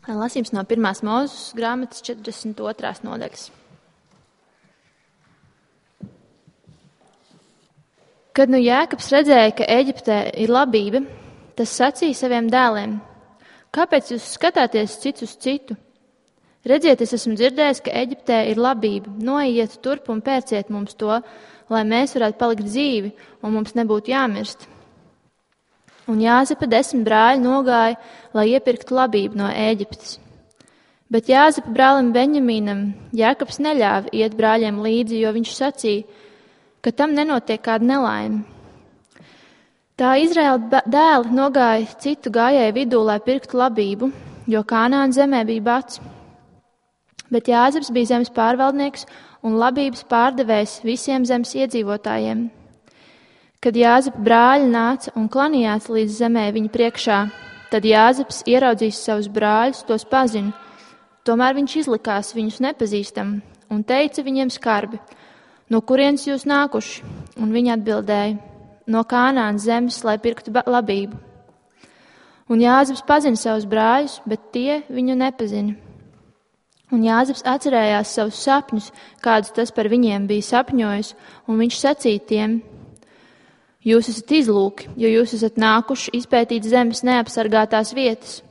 Lasījums no 1. Mūzes grāmatas 42. nodaļas. Kad nu Jēkabs redzēja, ka Ēģiptē ir labība, tas sacīja saviem dēliem: kāpēc jūs skatāties cits uz citu? Redziet, es esmu dzirdējis, ka Ēģiptē ir labība. Noiet turp un pērciet mums to, lai mēs varētu palikt dzīvi un mums nebūtu jāmirst. Un Jāzepa 10 brāļi nogāja, lai iepirktu labību no Ēģiptes. Bet Jāzepa brālim Beņamīnam Jēkabs neļāva iet brāļiem līdzi, jo viņš sacīja, ka tam nenotiek kāda nelaime. Tā Izraēla dēli nogāja citu gājēju vidū, lai pirktu labību, jo Kānaāna zemē bija bats. Bet Jāzeps bija zemes pārvaldnieks un labības pārdevējs visiem zemes iedzīvotājiem. Kad Jāzepa brāļi nāca un klanījās līdz zemē viņa priekšā, tad Jāzeps ieraudzījis savus brāļus, tos pazina. Tomēr viņš izlikās viņus nepazīstam un teica viņiem skarbi: no kurienes jūs nākuši? Un viņi atbildēja: no Kānaānas zemes, lai pirktu labību. Un Jāzeps pazina savus brāļus, bet tie viņu nepazina. Un Jāzeps atcerējās savus sapņus, kādus tas par viņiem bija sapņojis, un viņš sacīja tiem: jūs esat izlūki, jo jūs esat nākuši izpētīt zemes neapsargātās vietas.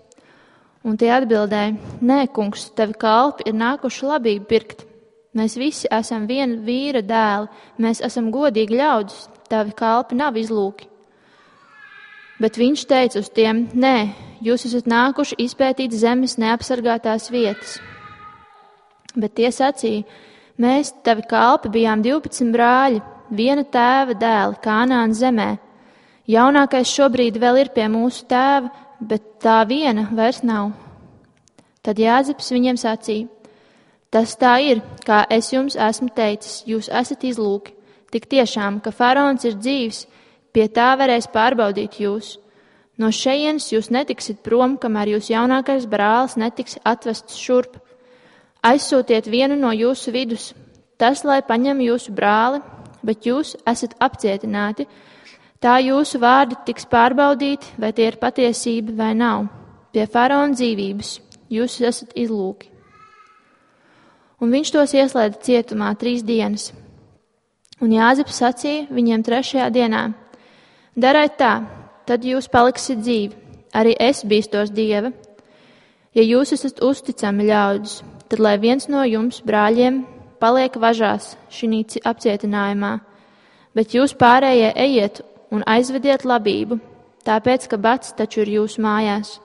Un tie atbildēja: nē, kungs, tavi kalpi ir nākuši labību pirkt. Mēs visi esam viena vīra dēli, mēs esam godīgi ļaudis, tavi kalpi nav izlūki. Bet viņš teica uz tiem: nē, jūs esat nākuši izpētīt zemes neapsargātās vietas. Bet tie sacīja: mēs, tavi kalpi, bijām 12 brāļi, viena tēva dēli Kānaānas zemē. Jaunākais šobrīd vēl ir pie mūsu tēva, bet tā viena vairs nav. Tad Jāzeps viņiem sacīja: tas tā ir, kā es jums esmu teicis, jūs esat izlūki. Tik tiešām, ka faraons ir dzīvs, pie tā varēs pārbaudīt jūs. No šejienes jūs netiksit prom, kamēr jūs jaunākais brālis netiks atvests šurp. Aizsūtiet vienu no jūsu vidus, tas, lai paņem jūsu brāli, bet jūs esat apcietināti. Tā jūsu vārdi tiks pārbaudīti, vai tie ir patiesība vai nav. Pie faraona dzīvības jūs esat izlūki. Un viņš tos ieslēdza cietumā 3 dienas. Un Jāzeps sacīja viņiem 3. dienā: dariet tā, tad jūs paliksiet dzīvi, arī es bīstos Dieva. Ja jūs esat uzticami ļaudis, tad lai viens no jums brāļiem paliek važās šī apcietinājumā, bet jūs pārējie ejiet un aizvediet labību, tāpēc, ka bats taču ir jūsu mājās.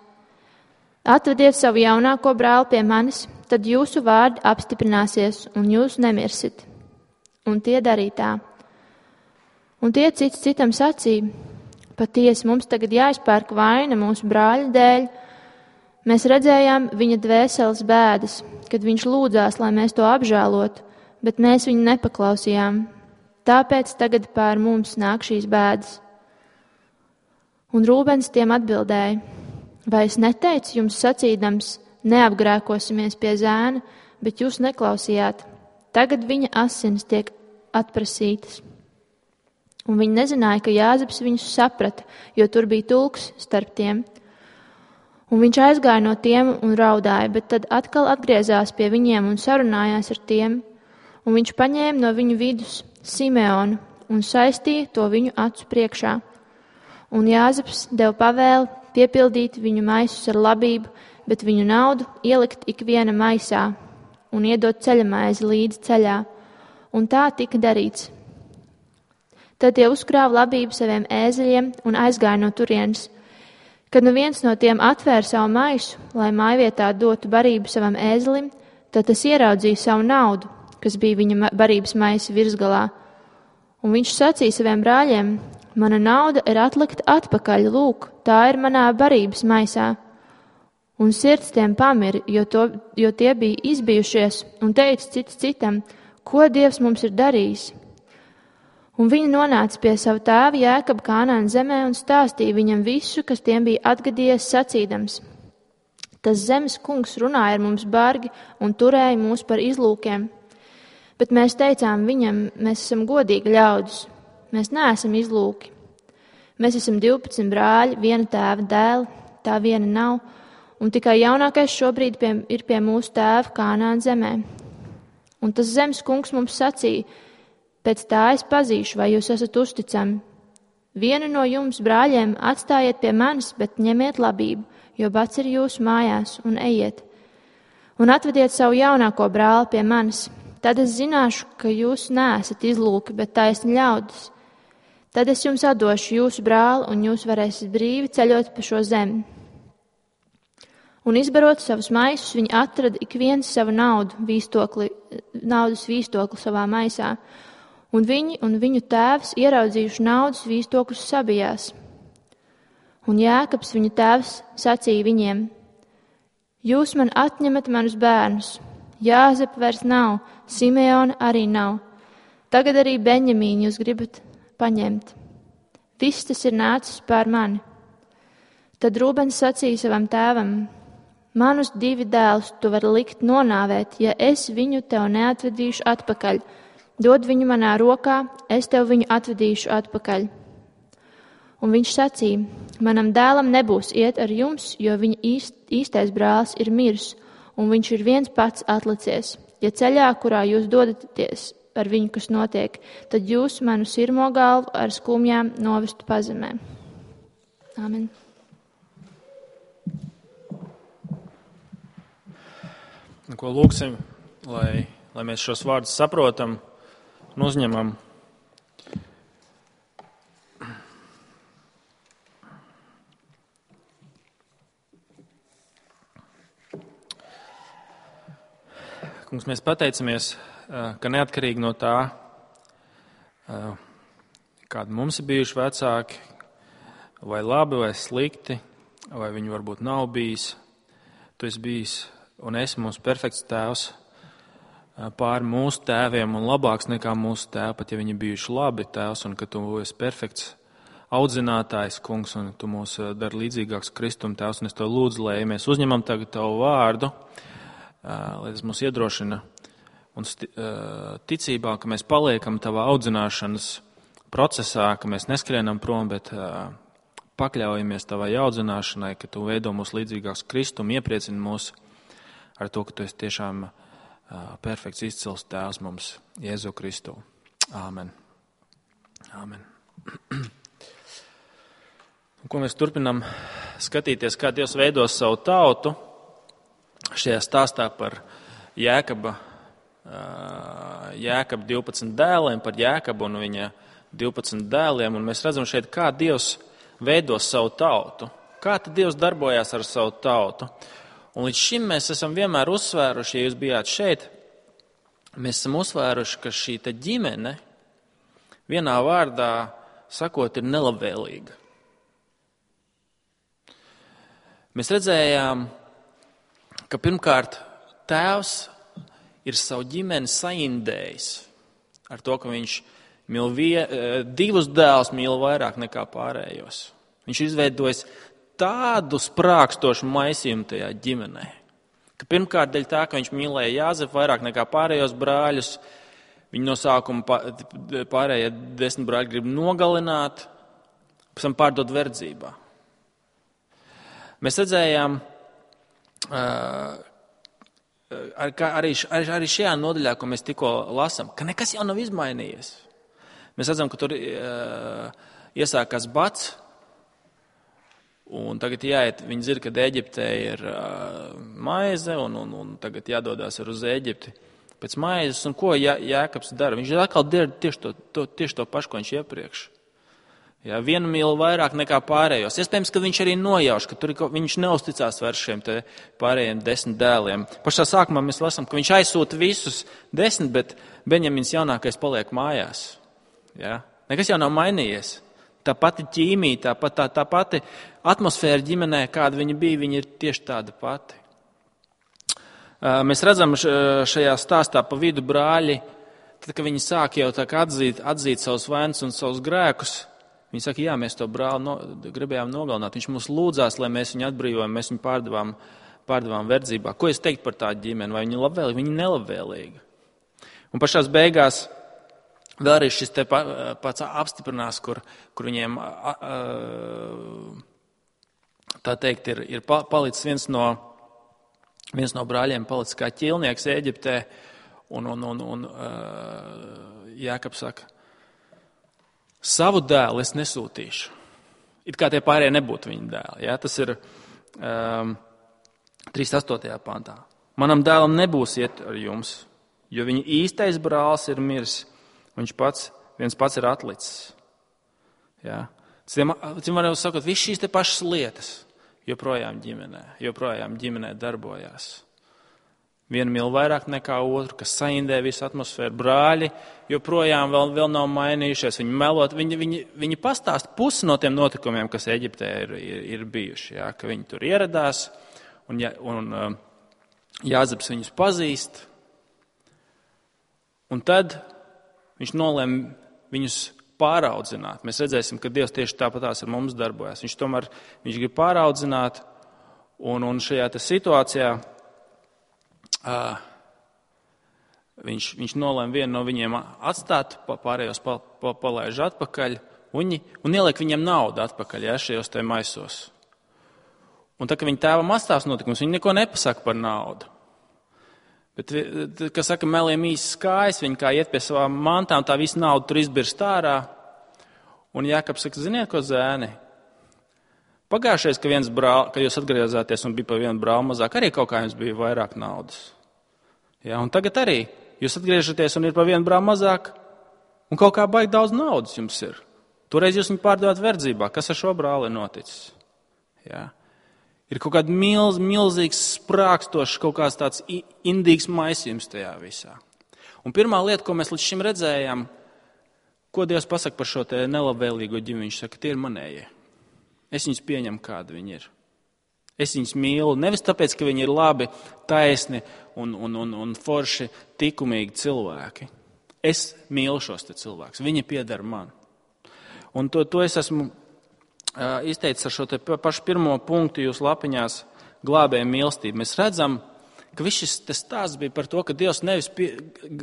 Atvediet savu jaunāko brāli pie manis, tad jūsu vārdi apstiprināsies un jūs nemirsit. Un tie darīja tā. Un tie cits citam sacīja: patiesi mums tagad jāizpērk vaina mūsu brāļa dēļ. Mēs redzējām viņa dvēseles bēdas, kad viņš lūdzās, lai mēs to apžēlotu, bet mēs viņu nepaklausījām. Tāpēc tagad pār mums nāk šīs bēdas. Un Rūbens tiem atbildēja: vai es neteicu jums sacīdams, neapgrēkosimies pie zēna, bet jūs neklausījāt. Tagad viņa asinis tiek atprasītas. Un viņi nezināja, ka Jāzeps viņus saprata, jo tur bija tulks starp tiem. Un viņš aizgāja no tiem un raudāja, bet tad atkal atgriezās pie viņiem un sarunājās ar tiem. Un viņš paņēma no viņu vidus Simeonu un saistīja to viņu acu priekšā. Un Jāzeps deva pavēli piepildīt viņu maisus ar labību, bet viņu naudu ielikt ikviena maisā un iedot ceļamaizi līdzi ceļā. Un tā tika darīts. Tad tie uzkrāva labību saviem ēzeļiem un aizgāja no turienes. Kad nu viens no tiem atvēra savu maisu, lai mājvietā dotu barību savam ēzelim, tad tas ieraudzīja savu naudu, kas bija viņa barības maisa virsgalā. Un viņš sacīja saviem brāļiem: mana nauda ir atlikta atpakaļ, lūk, tā ir manā barības maisā. Un sirds tiem pamira, jo tie bija izbijušies un teica cits citam: ko Dievs mums ir darījis? Un viņi nonāca pie savu tēva Jēkabu Kānaānas zemē un stāstīja viņam visu, kas tiem bija atgadījies sacīdams: tas zemes kungs runāja ar mums bargi un turēja mūs par izlūkiem. Bet mēs teicām viņam: mēs esam godīgi ļaudis, mēs neesam izlūki. Mēs esam 12 brāļi, viena tēva dēli, tā viena nav, un tikai jaunākais šobrīd ir pie mūsu tēva Kānaāna zemē. Un tas zemes kungs mums sacīja, pēc tā es pazīšu, vai jūs esat uzticami. Vienu no jums, brāļiem, atstājiet pie manis, bet ņemiet labību, jo bats ir jūsu mājās, un ejiet. Un atvediet savu jaunāko brāli pie manis. Tad es zināšu, ka jūs neesat izlūki, bet taisni ļaudis. Tad es jums atdošu jūsu brāli, un jūs varēsiet brīvi ceļot pa šo zemi. Un izbarot savus maisus, viņi atrada ik viens savu naudas vīstokli savā maisā. Un viņi un viņu tēvs ieraudzījuši naudas vīstokļus sabijās. Un Jēkabs, viņu tēvs, sacīja viņiem: Jūs man atņemat manus bērnus. Jāzepa vairs nav, Simeona arī nav. Tagad arī Beņamīnu jūs gribat paņemt. Viss tas ir nācis pār mani. Tad Rūbens sacīja savam tēvam: Manus 2 dēlus tu vari likt nonāvēt, ja es viņu tev neatvedīšu atpakaļ. Dod viņu manā rokā, es tev viņu atvedīšu atpakaļ. Un viņš sacīja: Manam dēlam nebūs iet ar jums, jo viņa īstais brālis ir miris, un viņš ir viens pats atlicies. Ja ceļā, kurā jūs dodaties ar viņu, kas notiek, tad jūs manu sirmo galvu ar skumjām novestu pazemē. Āmen. Ko lūksim, lai mēs šos vārdus saprotam un uzņemam. Kungs, mēs pateicamies, ka neatkarīgi no tā, kādi mums ir bijuši vecāki, vai labi, vai slikti, vai viņi varbūt nav bijis, tu esi bijis un esi mūsu perfekts tēvs pār mūsu tēviem un labāks nekā mūsu tēvi, pat ja viņi bijuši labi tēvs, un ka tu esi perfekts audzinātājs, kungs, un tu mūs dari līdzīgāks Kristum tēvs, un es tev lūdzu, lai mēs uzņemam tagad tavu vārdu, lai tas mūs iedrošina un ticībā, ka mēs paliekam tavā audzināšanas procesā, ka mēs neskrienam prom, bet pakļaujamies tavai audzināšanai, ka tu veido mūs līdzīgāks Kristum, iepriecini mūs ar to, ka tu esi tiešām perfekts izcils tēvs mums, Jēzu Kristu. Āmen. Āmen. Ko mēs turpinām skatīties, kā Dievs veidos savu tautu šajā stāstā par Jēkaba 12 dēliem, par Jēkabu un viņa 12 dēliem, un mēs redzam šeit, kā Dievs veidos savu tautu, kā tad Dievs darbojās ar savu tautu. Un līdz šim mēs esam vienmēr uzsvēruši, ja jūs bijāt šeit, mēs esam uzsvēruši, ka šī ģimene, vienā vārdā sakot, ir nelabvēlīga. Mēs redzējām, ka pirmkārt tēvs ir savu ģimeni saindējis ar to, ka viņš mīl 2 dēlus mīl vairāk nekā pārējos. Viņš ir izveidojis tādu sprākstošu maisījumu tajā ģimenē, ka pirmkārt dēļ tā, ka viņš mīlēja Jāzepu vairāk nekā pārējos brāļus, viņi no sākuma pārējie 10 brāļi grib nogalināt, pēc tam pārdot verdzībā. Mēs redzējām, arī šajā nodaļā, ko mēs tikko lasām, ka nekas jau nav izmainījies. Mēs redzam, ka tur iesākās bats, un tagad jāiet, viņi zina, ka Ēģiptē ir maize, un tagad jādodās uz Ēģipti pēc maizes, un ko Jēkabs dara? Viņš atkal dara tieši to pašu, ko viņš iepriekš. Jā, vienu mīl vairāk nekā pārējos. Iespējams, ka viņš arī nojauš, ka viņš neusticās vairs šiem te pārējiem 10 dēliem. Pašā sākumā mēs lasām, ka viņš aizsūta visus 10, bet Beņamins jaunākais paliek mājās. Jā? Nekas jau nav mainījies. Tā pati ķīmija, tā pati atmosfēra ģimenē, kāda viņa bija, viņa ir tieši tāda pati. Mēs redzam šajā stāstā pa vidu brāļi, tad, kad viņi sāk jau tā kā atzīt savus vainus un savus grēkus, viņi saka, jā, mēs to brāli gribējām nogalināt. Viņš mūs lūdzās, lai mēs viņu atbrīvojam, mēs viņu pārdevām verdzībā. Ko es teiktu par tādu ģimeni? Vai viņa labvēlīga? Viņa nelabvēlīga. Un pašās beigās vēl arī šis te pats apstiprinās, kur viņiem tā teikt, ir palicis viens no brāļiem palicis kā ķilnieks Ēģiptē, un Jākabs saka, savu dēlu es nesūtīšu. It kā tie pārējie nebūtu viņa dēli. Ja? Tas ir 38. pantā. Manam dēlam nebūs iet ar jums, jo viņa īstais brālis ir miris, viens pats ir atlicis. Ja? Cim varam sakot, viss šīs te pašas lietas joprojām ģimenē darbojās. Viena mīl vairāk nekā otru, kas saindē visu atmosfēru. Brāļi joprojām vēl nav mainījušies. Viņi melot, viņi pastāst pusi no tiem notikumiem, kas Eģiptē ir bijuši. Ja? Ka viņi tur ieradās, un Jāzeps viņus pazīst. Un tad viņš nolēma viņus pāraudzināt. Mēs redzēsim, ka Dievs tieši tāpatās ar mums darbojas. Viņš grib pāraudzināt, un šajā situācijā viņš nolēma vienu no viņiem atstāt, pārējos palaiž atpakaļ, un ieliek viņiem naudu atpakaļ, ja, šajos te maisos. Un tā, ka viņa tēvam atstāvs notikums, viņi neko nepasaka par naudu. Bet, kas saka, meliem īsi skājas, viņi kā iet pie savām mantām, tā visa nauda tur izbirst ārā. Un Jākabs saka, ziniet, ko zēni? Pagājušais, ka jūs atgriezāties un bija pa vienu brāli mazāk, arī kaut kā jums bija vairāk naudas. Ja, un tagad arī jūs atgriežaties un ir pa vienu brāli mazāk, un kaut kā baigi daudz naudas jums ir. Toreiz jūs viņu pārdevāt verdzībā. Kas ar šo brāli ir noticis? Ja. Ir kaut kāds milzīgs, sprākstošs, kaut kāds tāds indīgs maisījums tajā visā. Un pirmā lieta, ko mēs līdz šim redzējām, ko Dievs pasaka par šo te nelabvēlīgo ģimeni, viņš saka, tie ir manējie. Es viņus pieņemu, kādi viņi ir. Es viņus mīlu, nevis tāpēc, ka viņi ir labi, taisni un forši, likumīgi cilvēki. Es mīlu šos te cilvēkus, viņi pieder man. Un to es esmu izteicis ar šo te pašu pirmo punktu jūsu lapiņās glābēja mīlestību. Mēs redzam, ka viss šis stāsts bija par to, ka Dievs nevis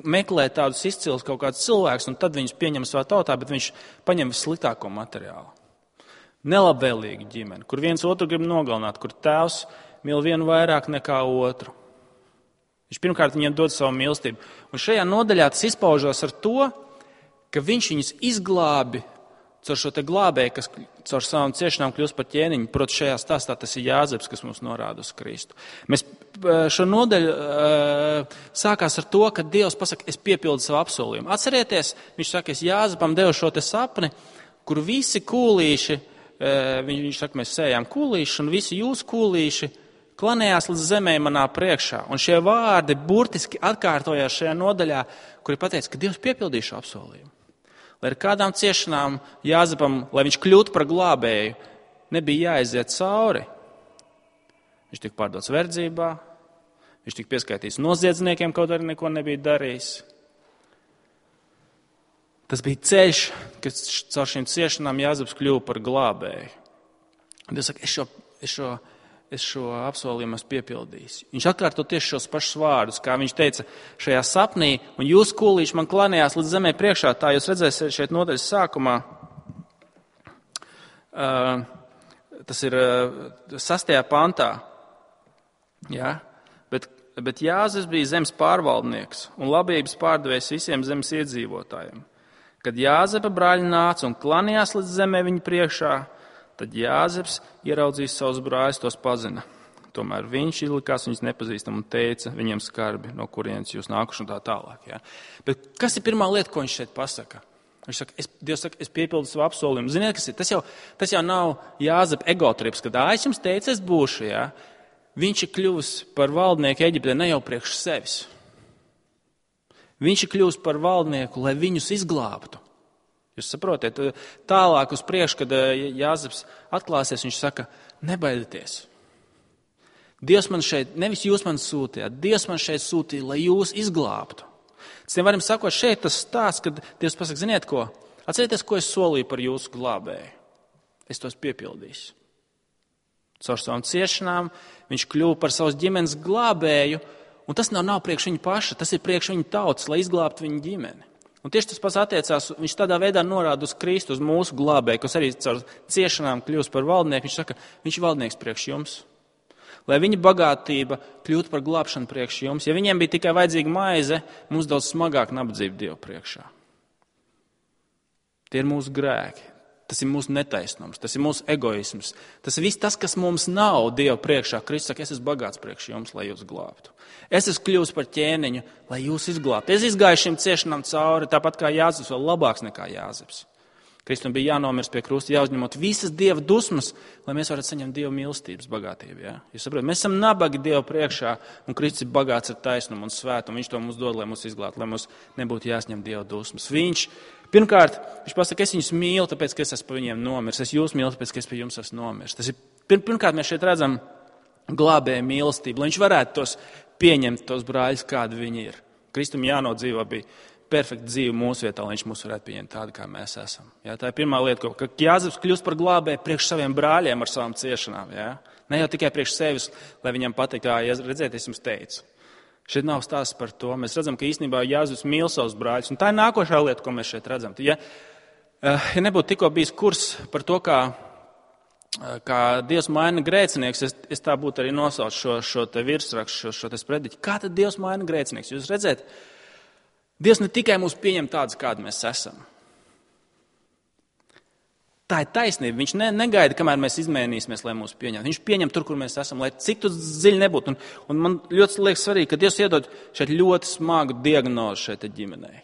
meklē tādus izcilus kaut kādus cilvēkus un tad viņus pieņem savā tautā, bet viņš paņem vissliktāko materiālu. Nelabvēlīga ģimene, kur viens otru grib nogalināt, kur tēvs mīl vienu vairāk nekā otru. Viņš pirmkārt viņiem dod savu mīlestību. Un šajā nodaļā tas izpaužās ar to, ka viņš viņus izglābi caur šo te glābēju, kas caur savām ciešanām kļūst par ķēniņu. Protams, šajā stāstā tas ir Jāzeps, kas mums norāda uz Kristu. Mēs šo nodaļu sākās ar to, ka Dievs pasaka, es piepildu savu apsolījumu. Atcerieties, viņš saka, es Jāzepam devu šo te sapni, kur visi kūlīši, viņš saka, mēs sējām kūlīši, un visi jūs kūlīši klanējās līdz zemē manā priekšā. Un šie vārdi burtiski atkārtojās šajā nodaļā, kur ir pateicis, ka Dievs piepildīja šo apsolījumu. Lai ar kādām ciešanām Jāzepam, lai viņš kļūtu par glābēju, nebija jāiziet cauri. Viņš tika pārdots verdzībā, viņš tika pieskaitīts noziedzniekiem, kaut arī neko nebija darījis. Tas bija ceļš, kas caur šīm ciešanām Jāzeps kļuva par glābēju. Dievs saka, es šo apsolījumu esmu piepildījis. Viņš atkārto tieši šos pašus vārdus, kā viņš teica šajā sapnī, un jūs kūlīši man klanējās līdz zemē priekšā, tā jūs redzēsiet šeit nodaļas sākumā. Tas ir 6. pantā. Ja? Bet Jāzeps bija zemes pārvaldnieks un labības pārdevējs visiem zemes iedzīvotājiem. Kad Jāzepa brāļi nāca un klanījās līdz zemē viņa priekšā, tad Jāzeps ieraudzījis savus brāļus, tos pazina. Tomēr viņš izlikās viņus nepazīstam un teica viņiem skarbi, no kurienes jūs nākuši un tā tālāk. Ja? Bet kas ir pirmā lieta, ko viņš šeit pasaka? Viņš saka, Dievs saka, es piepildu savu apsolījumu. Ziniet, kas ir? Tas jau nav Jāzepa egotrips, kad es jums teicu, es būšu. Ja? Viņš ir kļuvis par valdnieku Eģiptē ne jau priekš sevis. Viņš ir kļuvis par valdnieku, lai viņus izglābtu. Jūs saprotiet, tālāk uz priekšu, kad Jāzeps atklāsies, viņš saka, nebaidieties. Dievs man šeit, nevis jūs man sūtījāt, Dievs man šeit sūtīja, lai jūs izglābtu. Citiem varam sakot, šeit tas stāsts, kad Dievs pasaka, ziniet ko, atcerieties, ko es solīju par jūsu glābēju. Es tos piepildīšu. Caur savām ciešanām viņš kļuva par savas ģimenes glābēju, un tas nav priekš viņa paša, tas ir priekš viņa tautas, lai izglābtu viņa ģimeni. Un tieši tas pats attiecās, viņš tādā veidā norāda uz Kristu, uz mūsu glābēju, kas arī caur ciešanām kļūst par valdnieku. Viņš saka, viņš ir valdnieks priekš jums. Lai viņa bagātība kļūtu par glābšanu priekš jums. Ja viņiem bija tikai vajadzīga maize, mums daudz smagāk nabadzība Dievu priekšā. Tie ir mūsu grēki. Tas ir mūsu netaisnums, tas ir mūsu egoisms. Tas ir viss tas, kas mums nav Dievu priekšā. Kristus saka, es esmu bagāts priekš jums, lai jūs glābtu. Es esmu kļuvis par ķēniņu, lai jūs izglābtu. Es izgāju šim ciešanām cauri, tāpat kā Jāzeps, vēl labāks nekā Jāzeps. Kristum bija jānomirst pie krusta, jāuzņemot visas Dieva dusmas, lai mēs varētu saņemt Dieva mīlestības bagātību. Ja? Jūs saprotat, mēs esam nabagi Dievu priekšā, un Kristus ir bagāts ar taisnumu un svētumu. Viņš to mums dod, lai mūs izglābtu, lai mums nebūtu jāsņem Dieva dusmas. Pirmkārt, viņš pasaka, es viņus mīlu, tāpēc, ka es esmu par viņiem nomirs. Es jūs mīlu, tāpēc, ka es pie jums esmu nomirs. Tas ir, pirmkārt, mēs šeit redzam glābēju mīlestību, lai viņš varētu tos pieņemt, tos brāļus, kādi viņi ir. Kristum jānodzīvo bija perfekta dzīve mūsu vietā, lai viņš mūs varētu pieņemt tādu, kā mēs esam. Ja, tā ir pirmā lieta, ka Jāzeps kļūst par glābēju priekš saviem brāļiem ar savām ciešanām. Ja? Ne jau tikai priekš sevis, lai viņam pateikt, redziet, es jums teicu. Šeit nav stāsts par to. Mēs redzam, ka īstenībā Jāzeps mīl savus brāļus. Un tā ir nākošā lieta, ko mēs šeit redzam. Ja nebūtu tikko bijis kurs par to, kā Dievs maina grēcinieks, es tā būtu arī nosaucu šo te virsrakstu, šo te sprediķi. Kā tad Dievs maina grēcinieks? Jūs redzēt, Dievs ne tikai mūs pieņem tādus, kādi mēs esam. Tā ir taisnība. Viņš negaida, kamēr mēs izmainīsimies, lai mūs pieņemtu. Viņš pieņem tur, kur mēs esam, lai cik tu dziļi nebūtu. Un man ļoti liekas svarīgi, ka Dievs iedod šeit ļoti smagu diagnozi šeit ģimenei.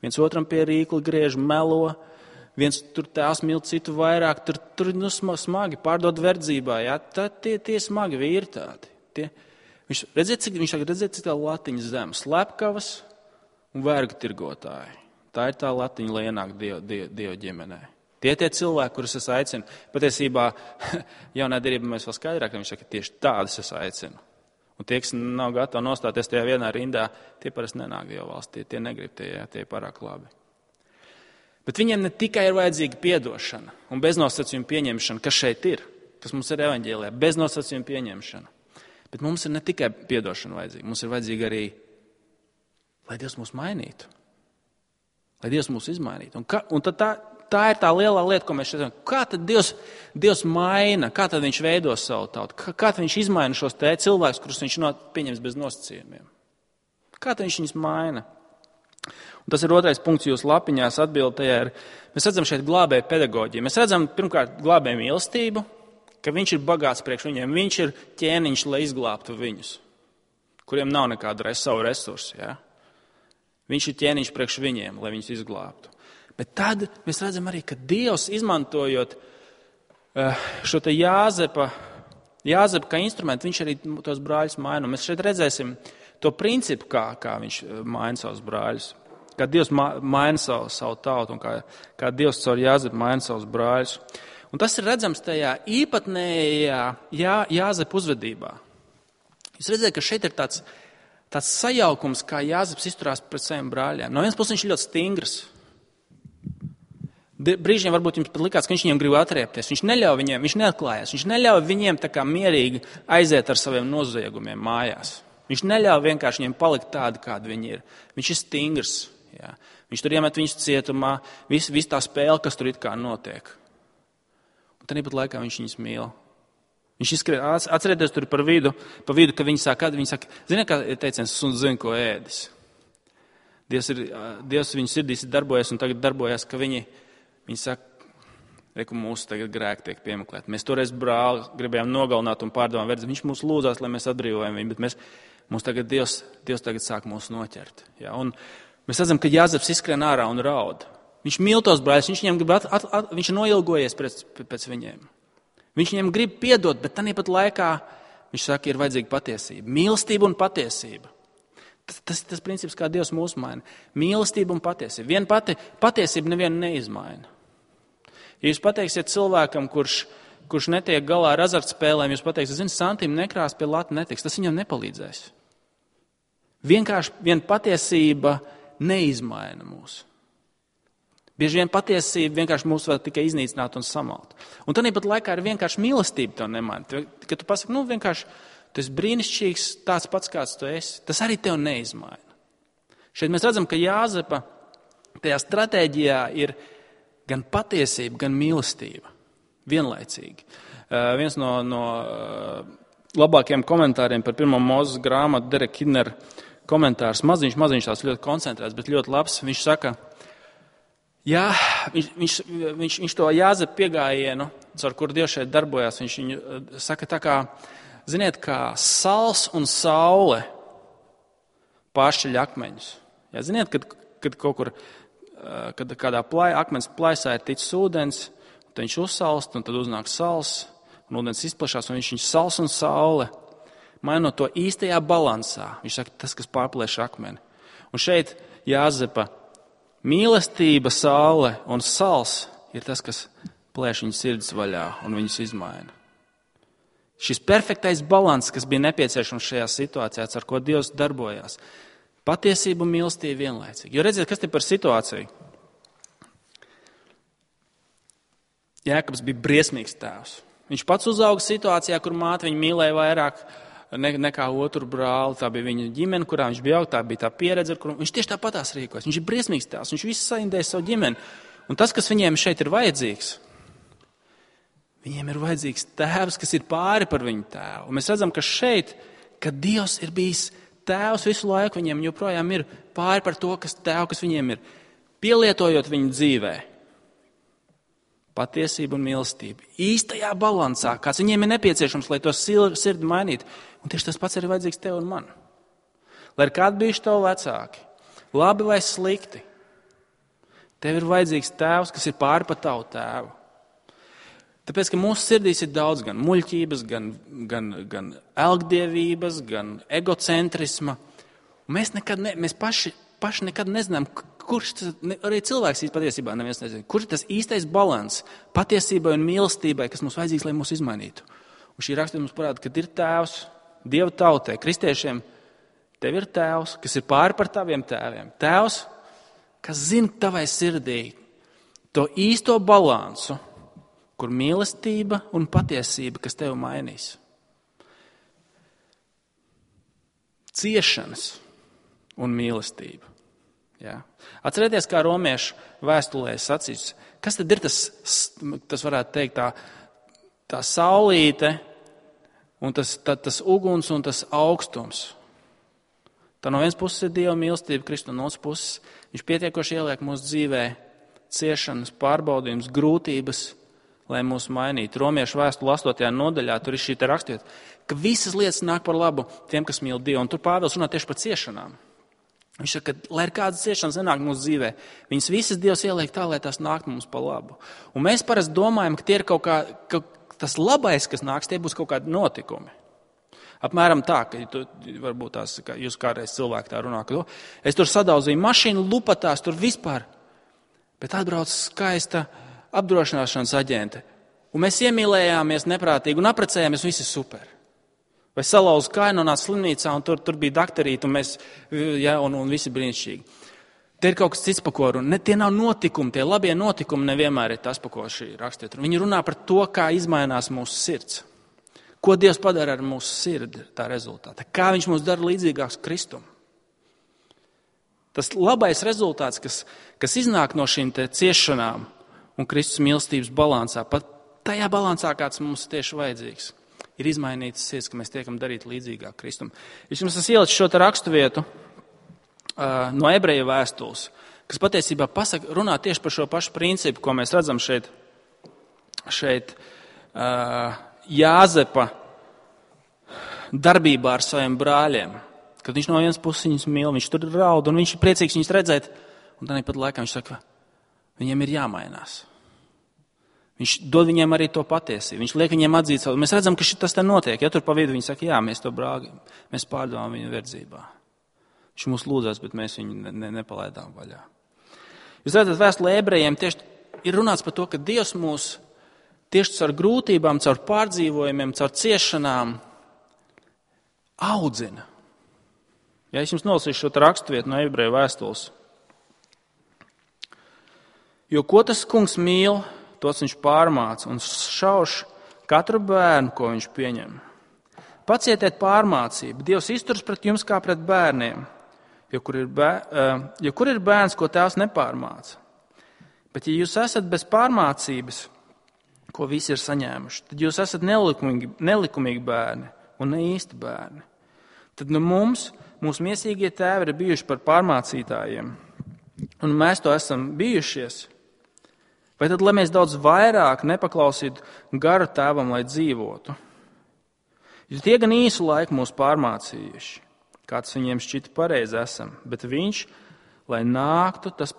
Viens otram pie rīkla griež, melo, viens tur tās mīl citu vairāk, tur smagi pārdod verdzībā. Ja? Tie smagi vīri tādi. Viņš redzēt, cik tā latiņa zem, slepkavas un vergu tirgotāji. Tā ir tā latiņa, lai ienāk Dieva ģimenē. Tie cilvēki, kurus es aicinu, patiesībā jaunā derībā mēs vēl skaidrāk, viņš saka, tieši tādus es aicinu. Un tie, kas nav gatavi nostāties tajā vienā rindā, tie parasti nenāk Dieva valstī, tie negrib, tie pārāk labi. Bet viņiem ne tikai ir vajadzīga piedošana un beznosacījuma pieņemšana, kas šeit ir, kas mums ir evaņģēlijā, beznosacījuma pieņemšana. Bet mums ir ne tikai piedošana vajadzīga, mums ir vajadzīga arī, lai Dievs mūs mainītu, lai Dievs mūs izmainītu. Un tad tā ir tā lielā lieta, ko mēs šeit zinām. Kā tad Dievs maina, kā tad viņš veido savu tautu, kā tad viņš izmaina šos cilvēkus, kurus viņš pieņems bez nosacījumiem. Kā tad viņš viņus maina? Un tas ir otrais punkts jūsu lapiņās atbildējā. Mēs redzam šeit glābēju pedagoģiju. Mēs redzam pirmkārt glābēju mīlestību, ka viņš ir bagāts priekš viņiem. Viņš ir ķēniņš, lai izglābtu viņus, kuriem nav nekāda savu resursu. Ja? Viņš ir ķēniņš priekš viņiem, lai viņus izglābtu. Bet tad mēs redzam arī, ka Dievs, izmantojot šo te Jāzepa kā instrumentu, viņš arī tos brāļus maina. Mēs šeit redzēsim to principu, kā viņš maina savus brāļus. Kā Dievs maina savu tautu un kā Dievs caur Jāzepu maina savus brāļus. Un tas ir redzams tajā īpatnējā Jāzepa uzvedībā. Jūs redzat, ka šeit ir tāds sajaukums, kā Jāzeps izturās pret saviem brāļiem. No vienas puses viņš ir ļoti stingrs. Brīžiem varbūt jums pat likās, ka viņš viņiem grib atriepties. Viņš neļauj viņiem, viņš neatklājās. Viņš neļauj viņiem tā kā mierīgi aiziet ar saviem noziegumiem mājās. Viņš neļauj vienkārši viņiem palikt tādi, kādi viņi ir. Viņš ir stingrs. Jā. Viņš tur iemet viņus cietumā, visu tā spēle, kas tur it kā notiek. Un tad pat laikā viņš viņus mīl. Viņš izskrien, atcerieties tur pa vidu, ka viņi saka, ziniet, kā ir teiciens, suns zina, ko ēdis. Dievs viņu sirdīs ir darbojies un tagad darbojas, ka viņi saka, reku mūsu tagad grēki tiek piemeklēti. Mēs toreiz brāli gribējām nogalināt un pārdevām verdzi. Viņš mūs lūdzās, lai mēs atbrīvojam viņu, bet mums tagad Dievs tagad sāk mūs noķert. Ja? Un mēs redzam, ka Jāzeps izskrien ārā un raud. Viņš mīl tos brāļus, viņš ir noilgojies pēc viņiem. Viņš viņiem grib piedot, bet tāpat laikā viņš saka, ir vajadzīga patiesība. Mīlestība un patiesība. Tas princips, kā Dievs mūs maina. Mīlestība un patiesība. Viena patiesība nevienu neizmaina. Ja jūs pateiksiet cilvēkam, kurš netiek galā ar azartspēlēm, jūs pateiksiet, santīm nekrās pie lata netiks, tas viņam nepalīdzēs. Vienkārši viena patiesība neizmaina mūs. Bieži vien patiesība vienkārši mūs var tikai iznīcināt un samalt. Un tāpat laikā ir vienkārši mīlestība tev nemaina. Kad tu pasaki, vienkārši tu esi brīnišķīgs, tāds pats, kāds tu esi, tas arī tev neizmaina. Šeit mēs redzam, ka Jāzepa tajā stratēģijā ir gan patiesība, gan mīlestība. Vienlaicīgi. Viens no labākajiem komentāriem par 1. Mūzes grāmatu, Derek Kidner komentārs, maziņš tās ļoti koncentrēts, bet ļoti labs. Viņš saka, jā, viņš to Jāzepa piegājienu, ar kuru Dievs šeit darbojās, viņš viņu saka tā kā, ziniet, kā sals un saule pāršķeļ akmeņus. Jā, ziniet, kad kaut kur, kad kādā akmens plaisā ir ticis ūdens, tad viņš uzsalst, un tad uznāk sals, un ūdens izplašās, un viņš sals un saule, mainot to īstajā balansā. Viņš saka, tas, kas pārplēš akmeni. Un šeit Jāzepa mīlestība, saule un sals ir tas, kas plēš viņas sirds vaļā un viņus izmaina. Šis perfektais balans, kas bija nepieciešams šajā situācijā, ar ko Dievs darbojās. Patiesība un mīlestība vienlaicīgi. Jo redziet, kas te par situāciju? Jēkabs bija briesmīgs tēvs. Viņš pats uzauga situācijā, kur māte viņu mīlēja vairāk nekā otru brāli. Tā bija viņa ģimene, kurā viņš bija augt, tā bija tā pieredze, ar kuru viņš tieši tāpatās rīkojas. Viņš ir briesmīgs tēvs, viņš visu saindēja savu ģimeni. Un tas, kas viņiem šeit ir vajadzīgs, viņiem ir vajadzīgs tēvs, kas ir pāri par viņu tēvu. Un mēs redzam, ka šeit, kad Dievs ir bijis tēvs visu laiku, viņiem joprojām ir pāri par to, kas viņiem ir, pielietojot viņu dzīvē. Patiesība un mīlestība. Īstajā balansā, kāds viņiem ir nepieciešams, lai to sirdi mainītu. Un tieši tas pats ir vajadzīgs tev un man. Lai ir kādi bijuši tavi vecāki, labi vai slikti, tev ir vajadzīgs tēvs, kas ir pāri par tavu tēvu. Tāpēc, ka mūsu sirdīs ir daudz gan muļķības, gan elgdievības, gan egocentrisma. Un mēs paši nekad nezinām, kurš tas, arī cilvēks patiesībā neviens nezina, kurš ir tas īstais balans patiesībai un mīlestībai, kas mums vajadzīgs, lai mūs izmainītu. Un šī rakstura mums parāda, ka ir tēvs, Dieva tautai, kristiešiem, tev ir tēvs, kas ir pāri par taviem tēviem. Tēvs, kas zina tavai sirdī to īsto balansu, kur mīlestība un patiesība, kas tev mainīs. Ciešanas un mīlestība. Jā. Atcerieties, kā romiešu vēstulē sacīts, kas tad ir tas varētu teikt, tā saulīte un tas uguns un tas augstums. Tā no vienas puses ir Dieva mīlestība, Kristu, no otras puses viņš pietiekoši ieliek mūsu dzīvē ciešanas, pārbaudījums, grūtības, lai mūs mainītu. Romiešu vēstule 8. nodaļā tur ir šī te rakstiet, ka visas lietas nāk par labu tiem, kas mīl Dievu. Un tur Pāvils runā tieši par ciešanām. Viņš saka, ka, lai ir kādas ciešanas nenāk mūsu dzīvē, viņas visas Dievs ieliek tā, lai tās nāk mums par labu. Un mēs parasti domājam, ka tie ir kaut kā, ka tas labais, kas nāks, tie būs kaut kādi notikumi. Apmēram tā, ka varbūt tās, ka jūs kādreiz cilvēki tā runā, ka es tur sadauzīju mašīnu, lupatās tur vispār, bet atbrauc skaista apdrošināšanas aģente. Un mēs iemīlējāmies neprātīgi un apprecējāmies, visi super. Vai salauzu kāju, nonāca slimnīcā, un tur bija dakterīti, un visi brīnišķīgi. Te ir kaut kas cits, pa ko runa. Tie nav notikumi, tie labie notikumi nevienmēr ir tas, pa ko šī rakstiet. Viņi runā par to, kā izmainās mūsu sirds. Ko Dievs padara ar mūsu sirdi tā rezultātā. Kā viņš mūs dara līdzīgāks Kristum. Tas labais rezultāts, kas iznāk no šīm te ciešanām un Kristus mīlestības balansā, pat tajā balansā, kāds mums tieši vajadzīgs, ir izmainītas sirds, ka mēs tiekam darīt līdzīgāk Kristum. Es jums esmu ielicis šo te raksturvietu no ebreju vēstules, kas patiesībā runā tieši par šo pašu principu, ko mēs redzam šeit Jāzepa darbībā ar saviem brāļiem. Kad viņš no vienas puses viņus mīl, viņš tur raud, un viņš ir priecīgs viņus redzēt, un tāpat laikā viņš saka, viņiem ir jāmainās. Viņš dod viņiem arī to patiesību. Viņš liek viņiem atzīt savu. Mēs redzam, ka tas te notiek. Ja tur pa vidu viņi saka, jā, mēs to brāli, mēs pārdevām viņu verdzībā. Viņš mūs lūdzās, bet mēs viņu nepalaidām vaļā. Jūs redzat, vēstulē ebrejiem tieši ir runāts par to, ka Dievs mūs tieši caur grūtībām, caur pārdzīvojumiem, caur ciešanām audzina. Ja es jums nolasīšu šo raksturvietu no ebreju vēstules. Jo ko tas kungs mīl, tos viņš pārmāca un šauš katru bērnu, ko viņš pieņem. Pacietiet pārmācību. Dievs izturas pret jums kā pret bērniem. jo kur ir bērns, ko tēvs nepārmāca. Bet ja jūs esat bez pārmācības, ko visi ir saņēmuši, tad jūs esat nelikumīgi bērni un ne īsti bērni. Tad mūsu miesīgie tēvi ir bijuši par pārmācītājiem, un mēs to esam bijušies. Vai tad, lai mēs daudz vairāk nepaklausītu garu tēvam, lai dzīvotu? Jo tie gan īsu laiku mūs pārmācījuši, kāds viņiem šķita pareizi esam, bet viņš, lai tas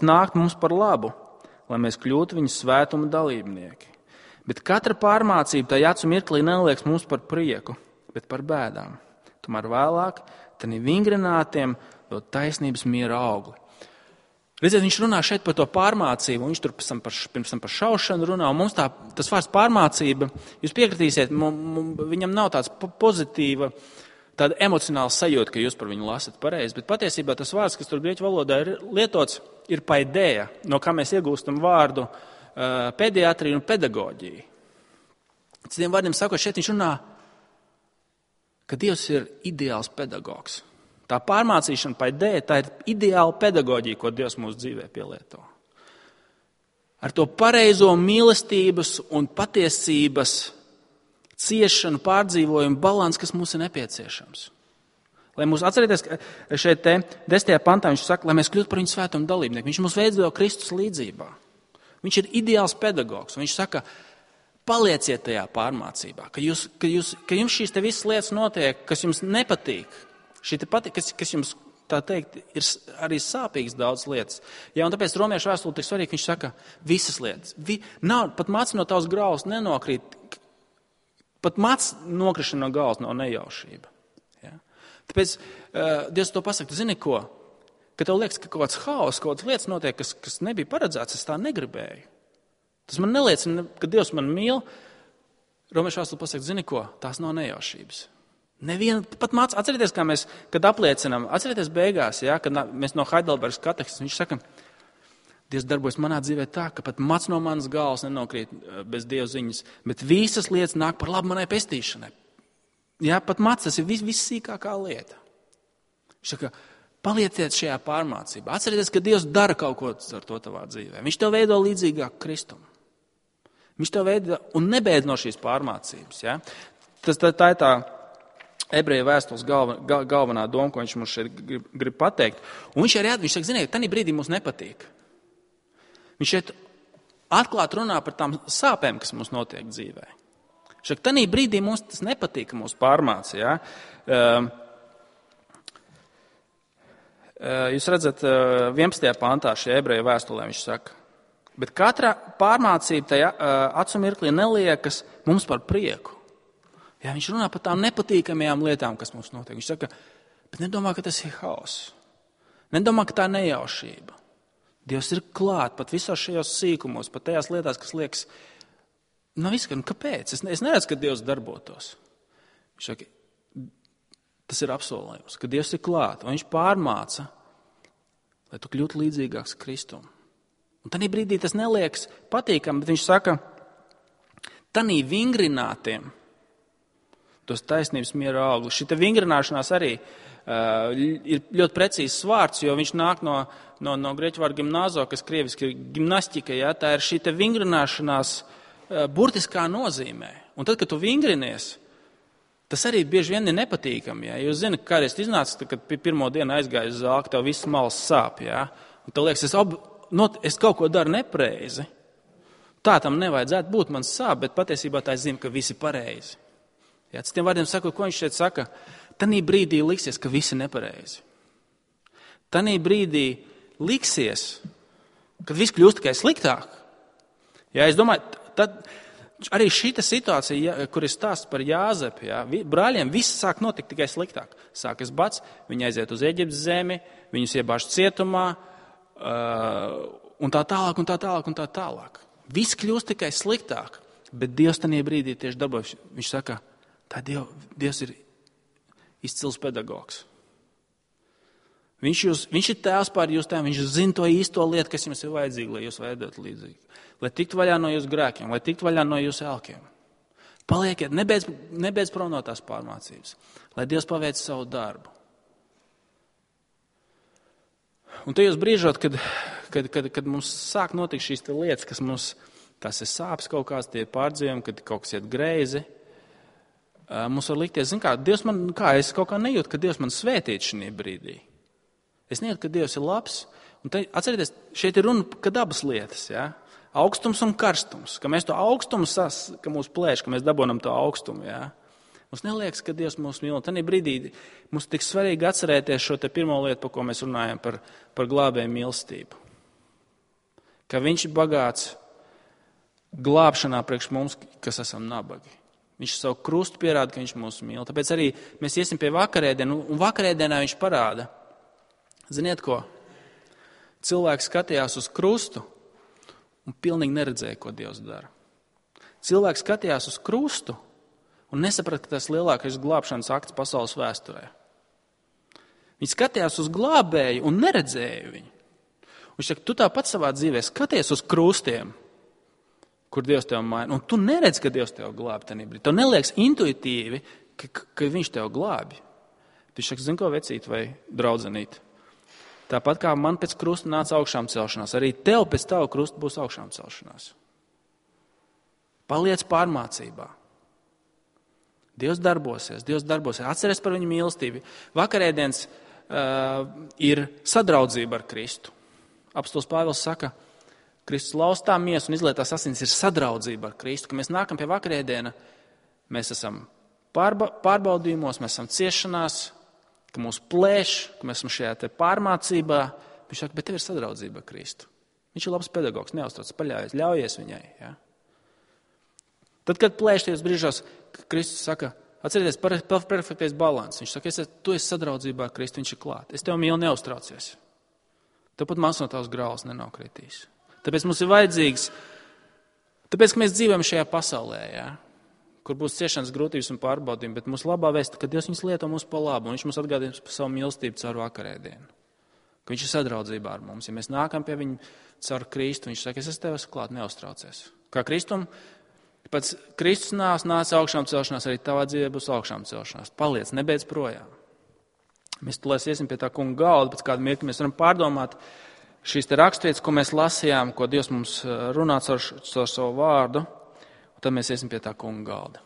nāktu mums par labu, lai mēs kļūtu viņa svētuma dalībnieki. Bet katra pārmācība tajā acu mirklī nelieks mums par prieku, bet par bēdām. Tomēr vēlāk, tad vingrinātiem dod taisnības miera augli. Redziet, viņš runā šeit par to pārmācību, un viņš tur pirms tam par šaušanu runā, un mums tas vārds pārmācība, jūs piekritīsiet, viņam nav tāds pozitīva, tāda emocionāla sajūta, ka jūs par viņu lasat pareizi, bet patiesībā tas vārds, kas tur grieķu valodā ir lietots, ir paidēja, no kā mēs iegūstam vārdu pediatriju un pedagoģiju. Citiem vārdiem sakot, šeit viņš runā, ka Dievs ir ideāls pedagogs. Tā pārmācīšana paidēja, tā ir ideāla pedagoģija, ko Dievs mūsu dzīvē pielieto. Ar to pareizo mīlestības un patiesības ciešanu, pārdzīvojumu balansu, kas mums ir nepieciešams. Lai mūs atcerieties, ka šeit 10. pantā viņš saka, lai mēs kļūtu par viņu svētumu dalībnieku. Viņš mūs veido Kristus līdzībā. Viņš ir ideāls pedagogs. Viņš saka, palieciet tajā pārmācībā, ka jums šīs te visas lietas notiek, kas jums nepatīk. Kas jums, tā teikt, ir arī sāpīgs daudz lietas. Ja, un tāpēc romiešu vēstule tik svarīgi, viņš saka, visas lietas. Pat mads no tavas graulas nenokrīt. Pat mads nokrišana no galvas nav nejaušība. Ja? Tāpēc Dievs to pasaka, zini ko? Ka tev liekas, ka kaut kāds haoss, kaut kādas lietas notiek, kas nebija paredzēts, es tā negribēju. Tas man neliecina, ka Dievs man mīl. Romiešu vēstule pasaka, zini ko? Tās nav nejaušības. Pat māc, atcerieties, kā mēs, kad apliecinām, atcerieties beigās, ja, kad mēs no Heidelbergas katehēzes, viņš saka, Dievs darbojas manā dzīvē tā, ka pat mats no manas galvas nenokrīt bez Dieva ziņas, bet visas lietas nāk par labu manai pestīšanai. Ja, pat mats, tas ir vissīkākā lieta. Viņš saka, palieciet šajā pārmācībā. Atcerieties, ka Dievs dara kaut ko ar to tavā dzīvē. Viņš tev veido līdzīgāk Kristum. Viņš tev veido un nebeidz no šīs pārmācības. Ja. Tā ir tā ebreju vēstules galvenā doma, ko viņš mums šeit grib pateikt. Un viņš saka, ziniet, tanī brīdī mums nepatīk. Viņš šeit atklāt runā par tām sāpēm, kas mums notiek dzīvē. Viņš saka, tanī brīdī mums tas nepatīk, ka mūs pārmāca. Ja? Jūs redzat, 11. pantā šajā ebreju vēstulē viņš saka, bet katra pārmācība tajā acu mirklī neliekas mums par prieku. Jā, viņš runā par tām nepatīkamajām lietām, kas mums notiek. Viņš saka, bet nedomā, ka tas ir haoss. Nedomā, ka tā ir nejaušība. Dievs ir klāt pat visos šajos sīkumos, pat tajās lietās, kas liekas, nav izskan, kāpēc? Es neredzu, ka Dievs darbotos. Viņš saka, tas ir apsolījums, ka Dievs ir klāt, un viņš pārmāca, lai tu kļūtu līdzīgāks Kristum. Un tanī brīdī tas neliekas patīkam, bet viņš saka, tanī vingrinātiem, tos taisnības miera augļus. Šita vingrināšanās arī ir ļoti precīzs vārds, jo viņš nāk no grieķu vārda gimnāzo, kas krieviski ir gimnastika. Ja? Tā ir šita vingrināšanās burtiskā nozīmē. Un tad, kad tu vingrinies, tas arī bieži vien ir nepatīkami. Ja? Jūs zināt, kā es iznācu, kad pirmo dienu aizgāju uz zāli, tev viss malas sāp. Ja? Un tev liekas, es kaut ko daru nepareizi. Tā tam nevajadzētu būt, man sāp, bet patiesībā tā es zinu, ka visi pareizi. Ja, citiem vārdiem sakot, ko viņš šeit saka, tanī brīdī liksies, ka visi nepareizi. Tanī brīdī liksies, kad viss kļūst tikai sliktāk. Ja, es domāju, tad arī šita situācija, kur ir stāsts par Jāzepu, ja, brāļiem viss sāk notikt tikai sliktāk. Sākas bats, viņi aiziet uz Eģiptes zemi, viņus iebāž cietumā, un tā tālāk, un tā tālāk, un tā tālāk. Viss kļūst tikai sliktāk, bet Dievs tanī brīdī tieši darbojas. Viņš saka, tā Dievs ir izcils pedagogs. Viņš ir tēvs pār jūsu tēvam, viņš zina to īsto lietu, kas jums ir vajadzīga, lai jūs veidotu līdzīgi. Lai tiktu vaļā no jūsu grēkiem, lai tiktu vaļā no jūsu elkiem. Palieciet, nebeidz prom no tās pārmācības, lai Dievs paveic savu darbu. Un tajos brīžos, kad mums sāk notikt šīs lietas, kas mums, tās ir sāpes kaut kāds, tie pārdzīvojumi, kad kaut kas iet greizi, mums var likties, Dievs man, es kaut kā nejūtu, ka Dievs man svētīt šī brīdī. Es nejūtu, ka Dievs ir labs. Un te, atcerieties, šeit ir runa, kad abas lietas, ja? Augstums un karstums, ka mēs to augstumu ka mūs plēš, ka mēs dabonam to augstumu, ja? Mums neliekas, ka Dievs mūs mīl. Tanī brīdī mums tik svarīgi atcerēties šo te pirmo lietu, par ko mēs runājam, par glābēju mīlestību. Ka viņš ir bagāts glābšanā priekš mums, kas esam nabagi. Viņš savu krustu pierāda, ka viņš mūs mīl. Tāpēc arī mēs iesim pie vakarēdienu, un vakarēdienā viņš parāda. Ziniet ko? Cilvēks skatījās uz krustu un pilnīgi neredzēja, ko Dievs dara. Cilvēks skatījās uz krustu un nesaprata, ka tas lielākais glābšanas akts pasaules vēsturē. Viņi skatījās uz glābēju un neredzēja viņu. Viņš saka, tu tāpat savā dzīvē skaties uz krustiem, kur Dievs tev maina, un tu neredz, ka Dievs tev glābi tajā brīdī. Tev neliekas intuitīvi, ka viņš tev glābi. Viņš saka, zin ko, vecīt vai draudzenīt? Tāpat kā man pēc krusta nāca augšām celšanās, arī tev pēc tava krusta būs augšām celšanās. Paliec pārmācībā. Dievs darbosies. Atceries par viņu mīlestību. Vakarēdienas ir sadraudzība ar Kristu. Apostils Pāvils saka, Kristus laustā miesu un izlietās asins ir sadraudzība ar Kristu. Kad mēs nākam pie vakarēdiena, mēs esam pārbaudījumos, mēs esam ciešanās, ka mūs plēš, ka mēs esam šajā te pārmācībā. Viņš saka, bet tev ir sadraudzība ar Kristu. Viņš ir labs pedagogs, neuztrauc, paļaujies, ļaujies viņai. Ja? Tad, kad plēš tajos brīžos, Kristus saka, atcerieties, perfektais balans. Viņš saka, tu esi sadraudzībā ar Kristu, viņš ir klāt. Es tev mīlu, neuztraucies. Tev pat maz no tavas grāvas nenokritīs. Tāpēc mums ir vajadzīgs, tāpēc, ka mēs dzīvojam šajā pasaulē, ja? Kur būs ciešanas, grūtības un pārbaudījumi, bet mūsu labā vēsta, ka Dievs viņus lieto mums pa labu, un viņš mums atgādina par savu mīlestību caur vakarēdienu. Ka viņš ir sadraudzībā ar mums. Ja mēs nākam pie viņa caur Kristu, viņš saka, es esmu tev klāt, neuztraucies. Kā pēc Kristus nāca augšām celšanās, arī tavā dzīvē būs augšām celšanās. Paliec, nebeidz projām. Mēs tulēs iesim pie tā kunga galda, pēc kāda mirkļa mēs varam pārdomāt šīs te raksturvietas, ko mēs lasījām, ko Dievs mums runā caur savu vārdu, un tad mēs iesim pie tā kunga galda.